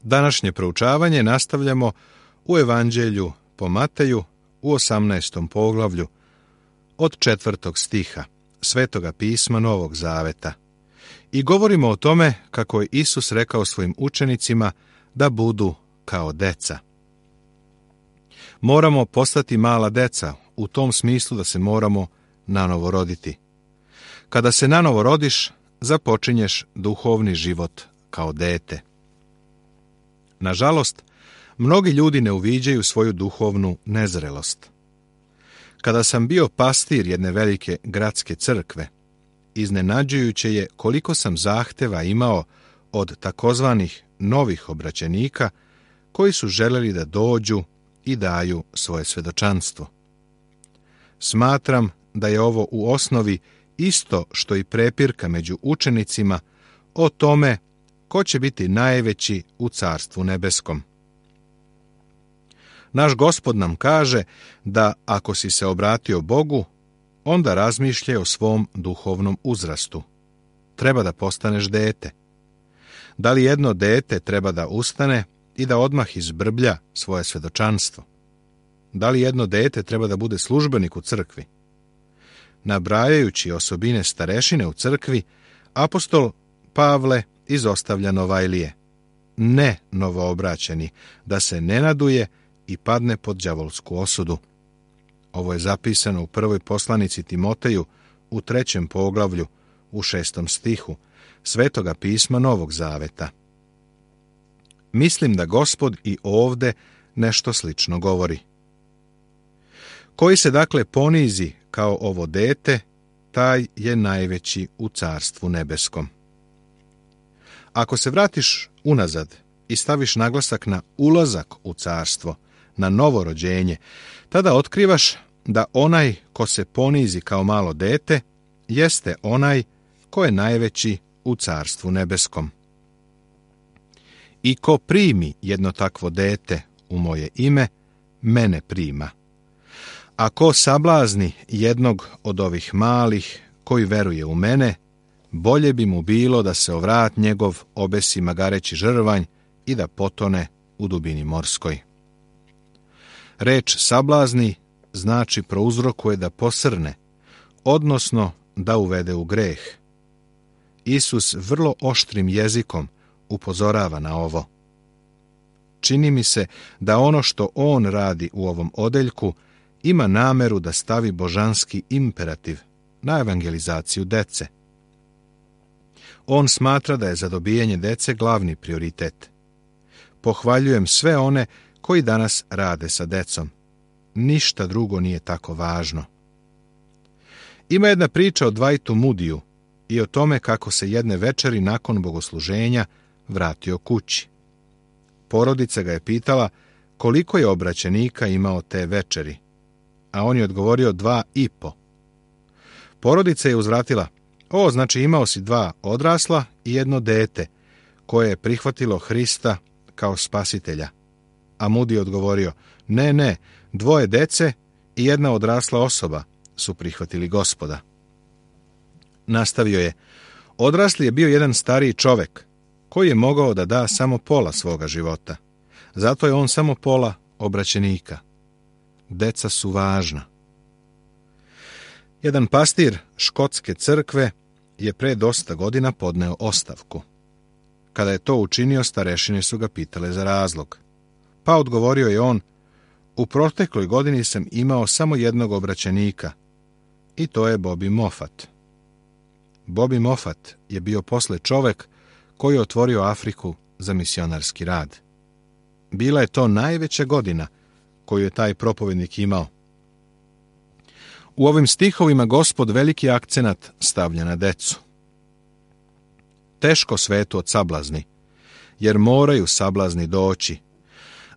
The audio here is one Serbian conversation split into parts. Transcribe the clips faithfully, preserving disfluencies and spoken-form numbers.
Današnje proučavanje nastavljamo u Evanđelju po Mateju u osamnaestom poglavlju od četvrtog stiha Svetoga pisma Novog Zaveta i govorimo o tome kako je Isus rekao svojim učenicima da budu kao deca. Moramo postati mala deca u tom smislu da se moramo nanovo roditi. Kada se nanovo rodiš, započinješ duhovni život kao dete. Nažalost, mnogi ljudi ne uviđaju svoju duhovnu nezrelost. Kada sam bio pastir jedne velike gradske crkve, iznenađujuće je koliko sam zahteva imao od takozvanih novih obraćenika koji su želeli da dođu i daju svoje svedočanstvo. Smatram da je ovo u osnovi isto što i prepirka među učenicima o tome ko će biti najveći u Carstvu nebeskom. Naš Gospod nam kaže da ako si se obratio Bogu, onda razmišljaj o svom duhovnom uzrastu. Treba da postaneš dete. Da li jedno dete treba da ustane i da odmah izbrblja svoje svedočanstvo? Da li jedno dete treba da bude službenik u crkvi? Nabrajajući osobine starešine u crkvi, apostol Pavle izostavlja Novajlije, ne novoobraćeni, da se ne naduje i padne pod đavolsku osudu. Ovo je zapisano u prvoj poslanici Timoteju u trećem poglavlju u šestom stihu Svetoga pisma Novog Zaveta. Mislim da Gospod i ovde nešto slično govori. Koji se dakle ponizi kao ovo dete, taj je najveći u Carstvu nebeskom. Ako se vratiš unazad i staviš naglasak na ulazak u carstvo, na novo rođenje, tada otkrivaš da onaj ko se ponizi kao malo dete, jeste onaj ko je najveći u Carstvu nebeskom. I ko primi jedno takvo dete u moje ime, mene prima. A ko sablazni jednog od ovih malih koji veruje u mene, bolje bi mu bilo da se o vrat njegov obesi magareći žrvanj i da potone u dubini morskoj. Reč sablazni znači prouzrokuje da posrne, odnosno da uvede u greh. Isus vrlo oštrim jezikom upozorava na ovo. Čini mi se da ono što on radi u ovom odeljku ima nameru da stavi božanski imperativ na evangelizaciju dece. On smatra da je za dobijanje dece glavni prioritet. Pohvaljujem sve one koji danas rade sa decom. Ništa drugo nije tako važno. Ima jedna priča o Dwightu Moodiju i o tome kako se jedne večeri nakon bogosluženja vratio kući. Porodica ga je pitala koliko je obraćenika imao te večeri, a on je odgovorio dva i po. Porodica je uzvratila: o, znači imao si dva odrasla i jedno dete koje je prihvatilo Hrista kao spasitelja. A Moody je odgovorio: ne, ne, dvoje dece i jedna odrasla osoba su prihvatili Gospoda. Nastavio je: odrasli je bio jedan stariji čovek koji je mogao da da samo pola svoga života. Zato je on samo pola obraćenika. Deca su važna. Jedan pastir škotske crkve je pre dosta godina podneo ostavku. Kada je to učinio, starešine su ga pitale za razlog. Pa odgovorio je on: u protekloj godini sam imao samo jednog obraćenika i to je Bobby Moffat. Bobby Moffat je bio posle čovek koji je otvorio Afriku za misionarski rad. Bila je to najveća godina koju je taj propovednik imao. U ovim stihovima Gospod veliki akcenat stavlja na decu. Teško svetu od sablazni, jer moraju sablazni doći,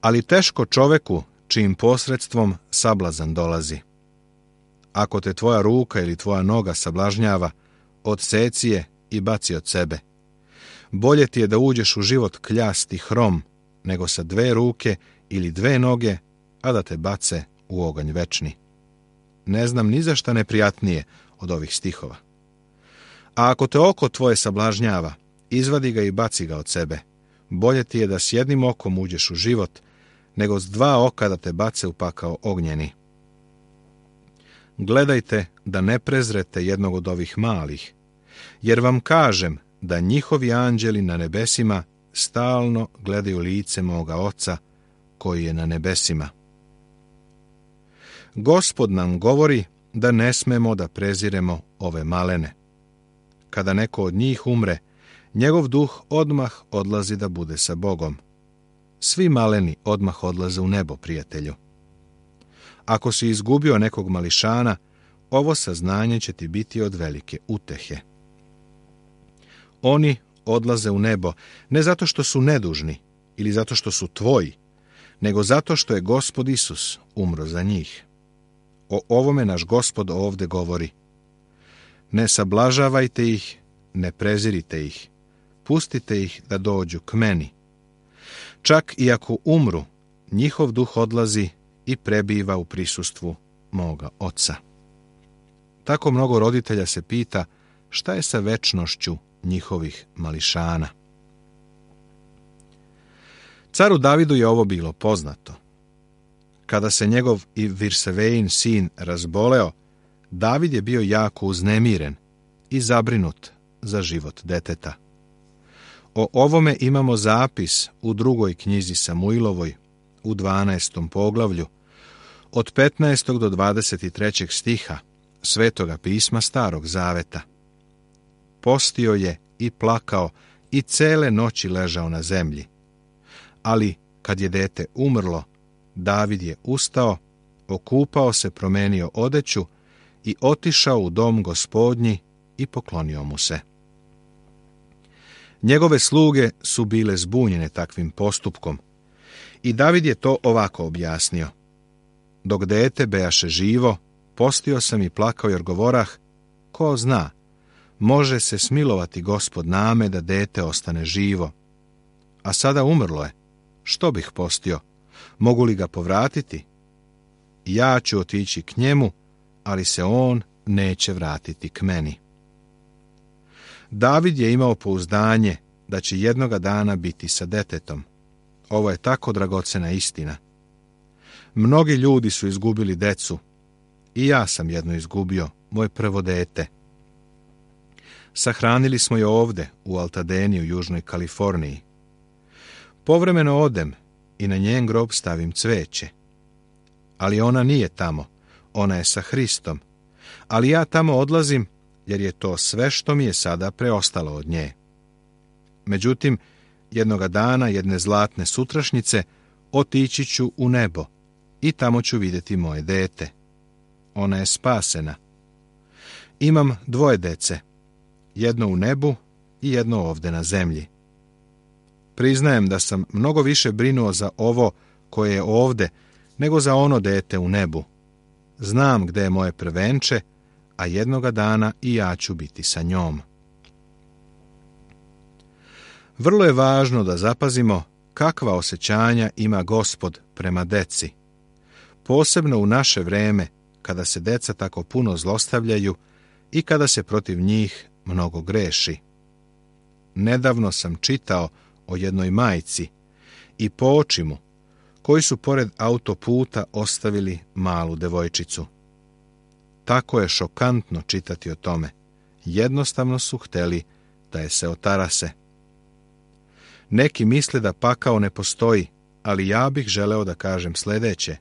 ali teško čoveku čijim posredstvom sablazan dolazi. Ako te tvoja ruka ili tvoja noga sablažnjava, odseci je i baci od sebe. Bolje ti je da uđeš u život kljast i hrom, nego sa dve ruke ili dve noge, a da te bace u oganj večni. Ne znam ni za šta neprijatnije od ovih stihova. A ako te oko tvoje sablažnjava, izvadi ga i baci ga od sebe. bolje ti je da s jednim okom uđeš u život, nego s dva oka da te bace u pakao ognjeni. Gledajte da ne prezrete jednog od ovih malih, jer vam kažem da njihovi anđeli na nebesima stalno gledaju lice moga Oca koji je na nebesima. Gospod nam govori da ne smemo da preziremo ove malene. Kada neko od njih umre, njegov duh odmah odlazi da bude sa Bogom. Svi maleni odmah odlaze u nebo, prijatelju. Ako si izgubio nekog mališana, ovo saznanje će ti biti od velike utehe. Oni odlaze u nebo ne zato što su nedužni ili zato što su tvoji, nego zato što je Gospod Isus umro za njih. O ovome naš Gospod ovdje govori. Ne sablažavajte ih, ne prezirite ih, pustite ih da dođu k meni. Čak i ako umru, njihov duh odlazi i prebiva u prisustvu moga Oca. Tako mnogo roditelja se pita šta je sa večnošću njihovih mališana. Caru Davidu je ovo bilo poznato. Kada se njegov i Virsevein sin razboleo, David je bio jako uznemiren i zabrinut za život deteta. O ovome imamo zapis u drugoj knjizi Samuilovoj, u dvanaestom poglavlju, od petnaestog do dvadeset trećeg stiha Svetoga pisma Starog Zaveta. Postio je i plakao i cele noći ležao na zemlji. Ali kad je dete umrlo, David je ustao, okupao se, promenio odeću i otišao u dom Gospodnji i poklonio mu se. Njegove sluge su bile zbunjene takvim postupkom i David je to ovako objasnio. Dok dete bejaše živo, postio sam i plakao jer govorah, ko zna, može se smilovati Gospod name da dete ostane živo. A sada umrlo je, što bih postio? Mogu li ga povratiti? Ja ću otići k njemu, ali se on neće vratiti k meni. David je imao pouzdanje da će jednoga dana biti sa detetom. Ovo je tako dragocena istina. Mnogi ljudi su izgubili decu. I ja sam jedno izgubio, moje prvo dete. Sahranili smo je ovde, u Altadeni u Južnoj Kaliforniji. Povremeno odem i na njen grob stavim cveće. Ali ona nije tamo, ona je sa Hristom. Ali ja tamo odlazim jer je to sve što mi je sada preostalo od nje. Međutim, jednoga dana, jedne zlatne sutrašnjice, otići ću u nebo i tamo ću vidjeti moje dete. Ona je spasena. Imam dvoje dece, jedno u nebu i jedno ovde na zemlji. Priznajem da sam mnogo više brinuo za ovo koje je ovde, nego za ono dete u nebu. Znam gde je moje prvenče, a jednoga dana i ja ću biti sa njom. Vrlo je važno da zapazimo kakva osjećanja ima Gospod prema deci. Posebno u naše vreme, kada se deca tako puno zlostavljaju i kada se protiv njih mnogo greši. Nedavno sam čitao o jednoj majci i poočimu koji su pored autoputa ostavili malu devojčicu. Tako je šokantno čitati o tome. Jednostavno su hteli da je se otarase. Neki misle da pakao ne postoji, ali ja bih želeo da kažem sljedeće.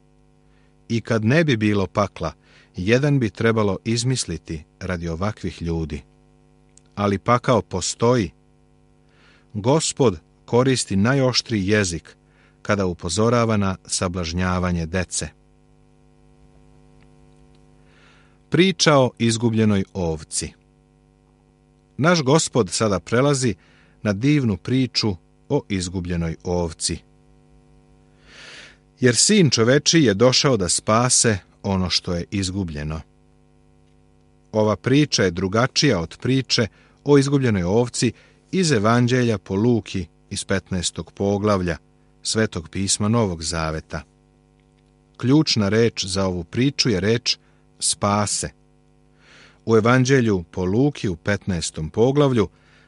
I kad ne bi bilo pakla, jedan bi trebalo izmisliti radi ovakvih ljudi. Ali pakao postoji. Gospod koristi najoštriji jezik kada upozorava na sablažnjavanje dece. Priča o izgubljenoj ovci. Naš Gospod sada prelazi na divnu priču o izgubljenoj ovci. Jer sin čovečiji je došao da spase ono što je izgubljeno. Ova priča je drugačija od priče o izgubljenoj ovci iz Evanđelja po Luki iz petnaestog poglavlja Svetog pisma Novog Zaveta. Ključna reč za ovu priču je reč spase. U Evanđelju po Luki u petnaestom poglavlju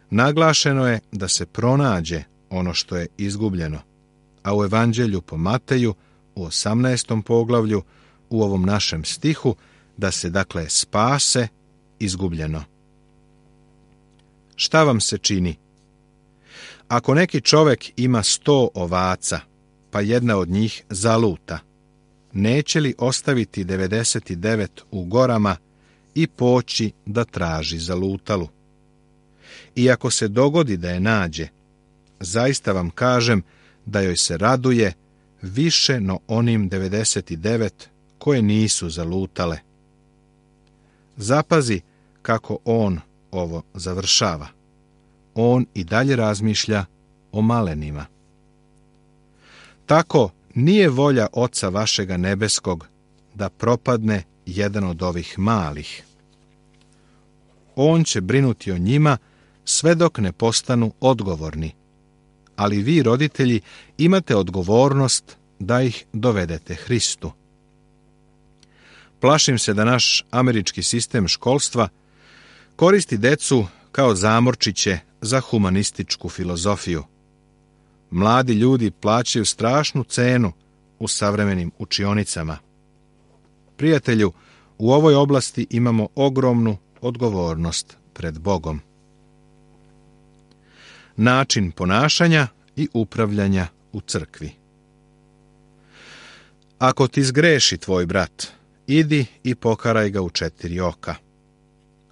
naglašeno je da se pronađe, ono što je izgubljeno, a u Evanđelju po Mateju u osamnaestom poglavlju u ovom našem stihu da se dakle spase izgubljeno. Šta vam se čini? Ako neki čovjek ima sto ovaca, pa jedna od njih zaluta, neće li ostaviti devedeset devet u gorama i poći da traži zalutalu? I ako se dogodi da je nađe, zaista vam kažem da joj se raduje više no onim devedeset devet koje nisu zalutale. Zapazi kako on ovo završava. On i dalje razmišlja o malenima. Tako nije volja Oca vašega nebeskog da propadne jedan od ovih malih. On će brinuti o njima sve dok ne postanu odgovorni. Ali vi, roditelji, imate odgovornost da ih dovedete Hristu. Plašim se da naš američki sistem školstva koristi decu kao zamorčiće za humanističku filozofiju. Mladi ljudi plaćaju strašnu cenu u savremenim učionicama. Prijatelju, u ovoj oblasti imamo ogromnu odgovornost pred Bogom. Način ponašanja i upravljanja u crkvi. Ako ti zgreši tvoj brat, idi i pokaraj ga u četiri oka.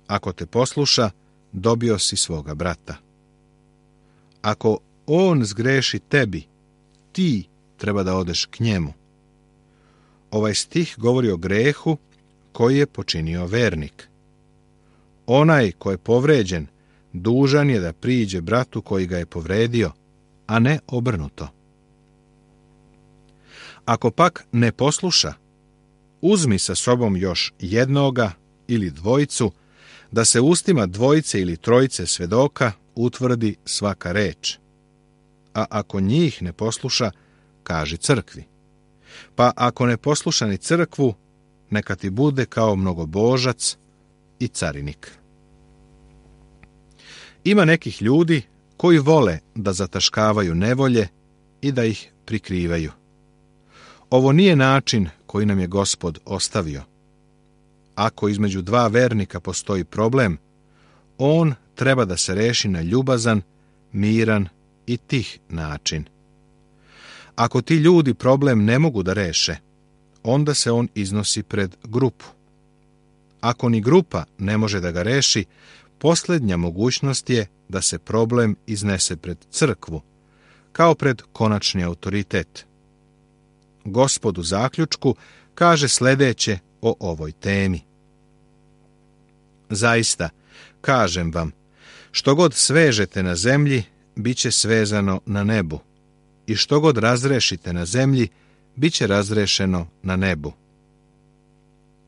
Ako te posluša, dobio si svoga brata. Ako on zgreši tebi, ti treba da odeš k njemu. Ovaj stih govori o grehu koji je počinio vernik. Onaj ko je povređen, dužan je da priđe bratu koji ga je povredio, a ne obrnuto. Ako pak ne posluša, uzmi sa sobom još jednoga ili dvojicu, da se ustima dvojice ili trojice svedoka utvrdi svaka reč. A ako njih ne posluša, kaži crkvi. Pa ako ne posluša ni crkvu, neka ti bude kao mnogobožac i carinik. Ima nekih ljudi koji vole da zataškavaju nevolje i da ih prikrivaju. Ovo nije način koji nam je Gospod ostavio. Ako između dva vernika postoji problem, on treba da se reši na ljubazan, miran i tih način. Ako ti ljudi problem ne mogu da reše, onda se on iznosi pred grupu. Ako ni grupa ne može da ga reši, posljednja mogućnost je da se problem iznese pred crkvu, kao pred konačni autoritet. Gospod u zaključku kaže sljedeće o ovoj temi. Zaista, kažem vam, što god svežete na zemlji, bit će svezano na nebu, i što god razrešite na zemlji, bit će razrešeno na nebu.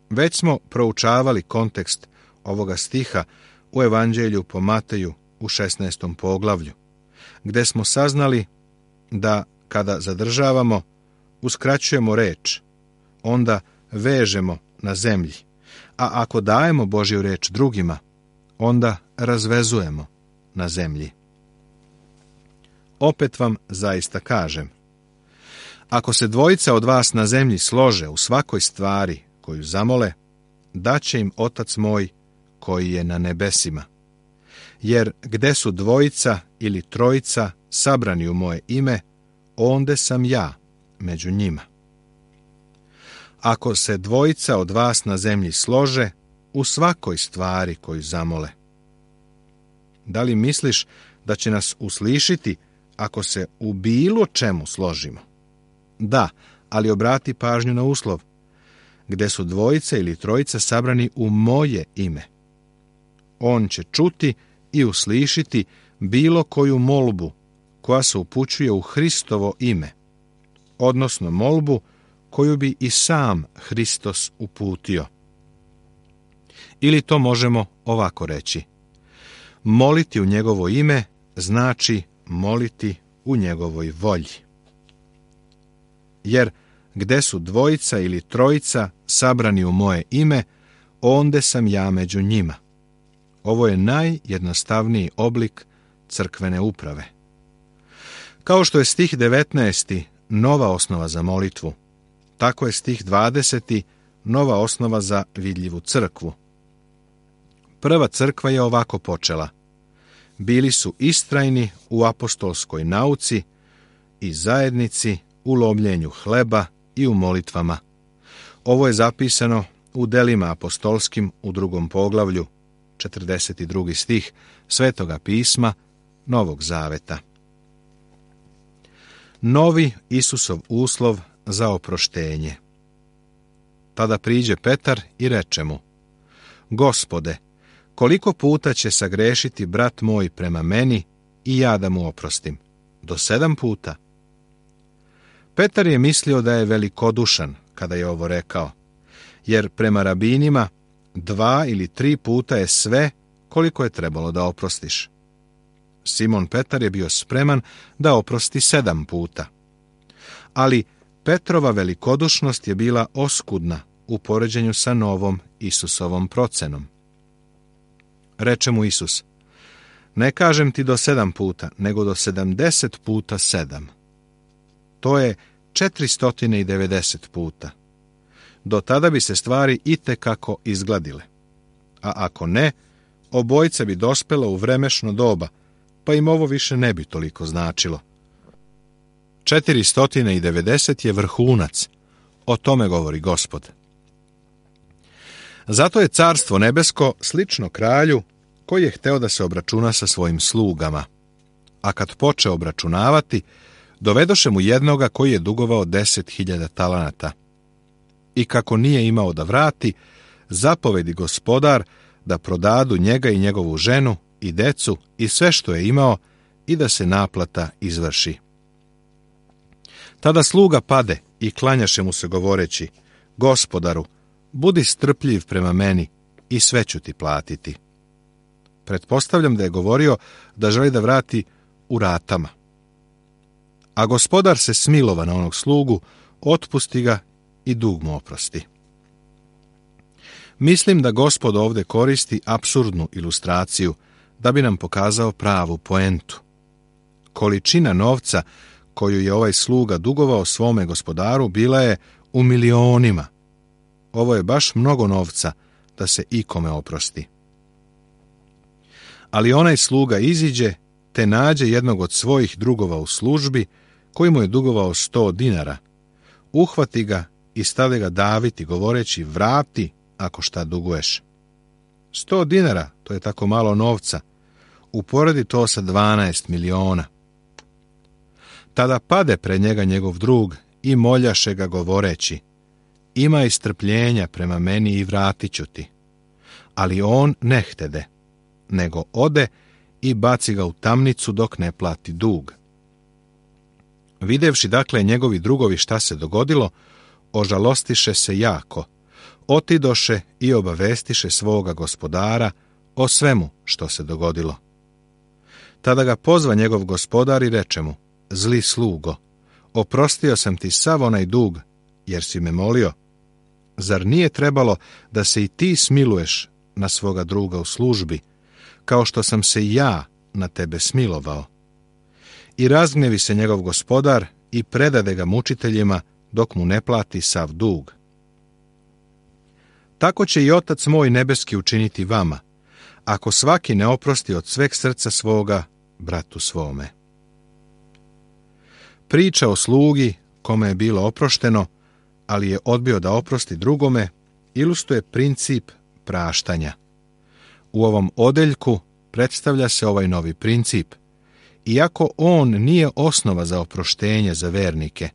Već smo proučavali kontekst ovoga stiha u Evanđelju po Mateju u šesnaestom poglavlju, gde smo saznali da kada zadržavamo, uskraćujemo reč, onda vežemo na zemlji, a ako dajemo Božju reč drugima, onda razvezujemo na zemlji. Opet vam zaista kažem, ako se dvojica od vas na zemlji slože u svakoj stvari koju zamole, daće im Otac moj koji je na nebesima. Jer gde su dvojica ili trojica sabrani u moje ime, onde sam ja među njima. Ako se dvojica od vas na zemlji slože u svakoj stvari koju zamole. Da li misliš da će nas uslišiti ako se u bilo čemu složimo? Da, ali obrati pažnju na uslov. Gde su dvojica ili trojica sabrani u moje ime. On će čuti i uslišiti bilo koju molbu koja se upućuje u Hristovo ime, odnosno molbu koju bi i sam Hristos uputio. Ili to možemo ovako reći. Moliti u njegovo ime znači moliti u njegovoj volji. Jer gde su dvojica ili trojica sabrani u moje ime, onde sam ja među njima. Ovo je najjednostavniji oblik crkvene uprave. Kao što je stih devetnaesti nova osnova za molitvu, tako je stih dvadeseti nova osnova za vidljivu crkvu. Prva crkva je ovako počela. Bili su istrajni u apostolskoj nauci i zajednici, u lomljenju hleba i u molitvama. Ovo je zapisano u Delima apostolskim u drugom poglavlju, četrdeset drugi stih Svetoga pisma Novog zaveta. Novi Isusov uslov za oproštenje. Tada priđe Petar i reče mu: Gospode, koliko puta će sagrešiti brat moj prema meni i ja da mu oprostim? Do sedam puta? Petar je mislio da je velikodušan kada je ovo rekao, jer prema rabinima dva ili tri puta je sve koliko je trebalo da oprostiš. Simon Petar je bio spreman da oprosti sedam puta. Ali Petrova velikodušnost je bila oskudna u poređenju sa novom Isusovom procenom. Reče mu Isus: Ne kažem ti do sedam puta, nego do sedamdeset puta sedam. To je četiristo devedeset puta. Do tada bi se stvari itekako izgladile. A ako ne, obojica bi dospela u vremešno doba, pa im ovo više ne bi toliko značilo. četiristo devedeset je vrhunac, o tome govori Gospod. Zato je carstvo nebesko slično kralju koji je hteo da se obračuna sa svojim slugama. A kad poče obračunavati, dovedoše mu jednoga koji je dugovao deset hiljada talanata. I kako nije imao da vrati, zapovedi gospodar da prodadu njega i njegovu ženu i decu i sve što je imao i da se naplata izvrši. Tada sluga pade i klanjaše mu se govoreći: Gospodaru, budi strpljiv prema meni i sve ću ti platiti. Pretpostavljam da je govorio da želi da vrati u ratama. A gospodar se smilova na onog slugu, otpusti ga i dug mu oprosti. Mislim da Gospod ovdje koristi apsurdnu ilustraciju da bi nam pokazao pravu poentu. Količina novca koju je ovaj sluga dugovao svome gospodaru bila je u milionima. Ovo je baš mnogo novca da se ikome oprosti. Ali onaj sluga iziđe te nađe jednog od svojih drugova u službi koji mu je dugovao sto dinara. Uhvati ga i stave ga daviti govoreći: vrati ako šta duguješ. Sto dinara, to je tako malo novca. Uporedi to sa dvanaest miliona. Tada pade pred njega njegov drug i moljaše ga govoreći: imaj strpljenja prema meni i vratit ću ti. Ali on ne htede, nego ode i baci ga u tamnicu dok ne plati dug. Videvši dakle njegovi drugovi šta se dogodilo, ožalostiše se jako, otidoše i obavestiše svoga gospodara o svemu što se dogodilo. Tada ga pozva njegov gospodar i reče mu: zli slugo, oprostio sam ti sav onaj dug, jer si me molio. Zar nije trebalo da se i ti smiluješ na svoga druga u službi, kao što sam se i ja na tebe smilovao? I razgnevi se njegov gospodar i predade ga mučiteljima dok mu ne plati sav dug. Tako će i Otac moj nebeski učiniti vama, ako svaki ne oprosti od sveg srca svoga bratu svome. Priča o slugi kome je bilo oprošteno, ali je odbio da oprosti drugome, ilustruje princip praštanja. U ovom odeljku predstavlja se ovaj novi princip, iako on nije osnova za oproštenje za vernike.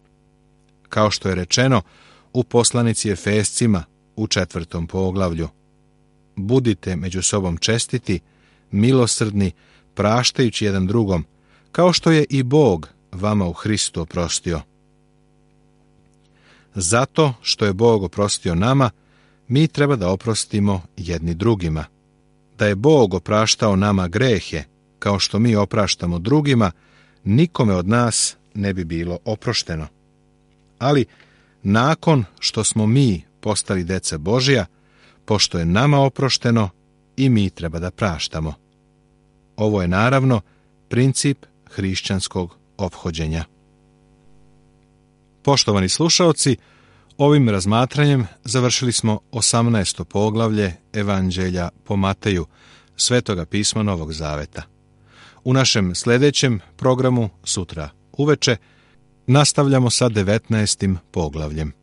Kao što je rečeno u poslanici Efescima u četvrtom poglavlju: budite među sobom čestiti, milosrdni, praštajući jedan drugom, kao što je i Bog vama u Hristu oprostio. Zato što je Bog oprostio nama, mi treba da oprostimo jedni drugima. Da je Bog opraštao nama grehe, kao što mi opraštamo drugima, nikome od nas ne bi bilo oprošteno. Ali nakon što smo mi postali deca Božja, pošto je nama oprošteno, i mi treba da praštamo. Ovo je naravno princip hrišćanskog ophođenja. Poštovani slušaoci, ovim razmatranjem završili smo osamnaesto poglavlje Evanđelja po Mateju, Svetoga pisma Novog Zaveta. U našem sljedećem programu sutra uveče nastavljamo sa devetnaestim poglavljem.